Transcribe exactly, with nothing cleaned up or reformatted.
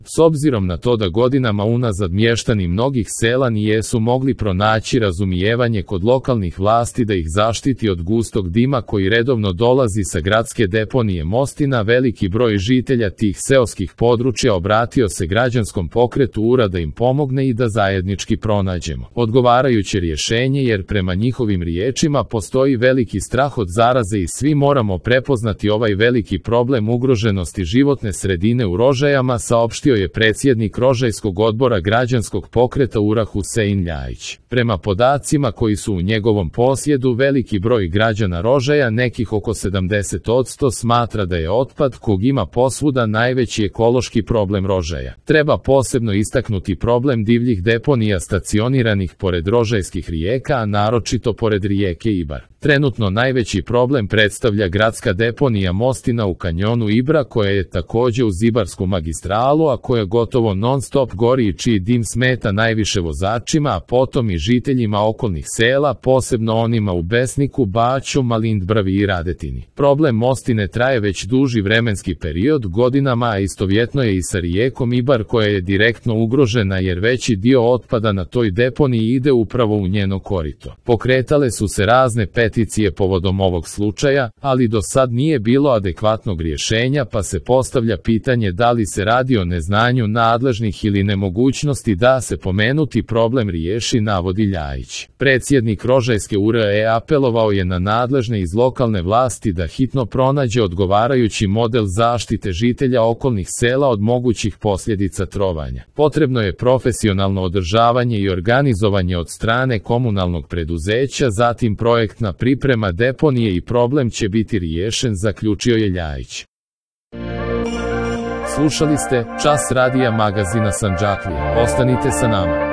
S obzirom na to da godinama unazad mještani mnogih sela nijesu mogli pronaći razumijevanje kod lokalnih vlasti da ih zaštiti od gustog dima koji redovno dolazi sa gradske deponije Mostina, veliki broj žitelja tih seoskih područja obratio se građanskom pokretu U R A da im pomogne i da zajednički pronađemo odgovarajuće rješenje, jer prema njihovim riječima postoji veliki strah od zaraze i svi moramo prepoznati ovaj veliki problem ugroženosti životne sredine u Rožajama, saopštio je predsjednik Rožajskog odbora građanskog pokreta U R A Husein Ljajić. Prema podacima koji su u njegovom posjedu, veliki broj građana Rožaja, nekih oko sedamdeset posto, smatra da je otpad kog ima posvuda najveći ekološki problem Rožaja. Treba posebno istaknuti problem divljih deponija stacioniranih pored rožajskih rijeka, a naročito pored rijeke Ibar. Trenutno najveći problem predstavlja gradska deponija Mostina u kanjonu Ibra, koja je također uz Ibarsku magistralu, a koja gotovo non stop gori i čiji dim smeta najviše vozačima, a potom i žiteljima okolnih sela, posebno onima u Besniku, Baću, Malindbravi i Radetini. Problem Mostine traje već duži vremenski period, godinama, a istovjetno je i sa rijekom Ibar, koja je direktno ugrožena jer veći dio otpada na toj deponiji ide upravo u njeno korito. Pokretale su se razne peticije povodom ovog slučaja, ali do sad nije bilo adekvatnog rješenja, pa se postavlja pitanje da li se radi o neznanju nadležnih ili nemogućnosti da se pomenuti problem riješi, navodi Ljajić. Predsjednik Rožajske U R A apelovao je na nadležne iz lokalne vlasti da hitno pronađe odgovarajući model zaštite žitelja okolnih sela od mogućih posljedica trovanja. Potrebno je profesionalno održavanje i organizovanje od strane komunalnog preduzeća, zatim projektna priprema deponije i problem će biti riješen, zaključio je Ljajić. Slušali ste Čas radija magazina Sandžaklija. Ostanite sa nama.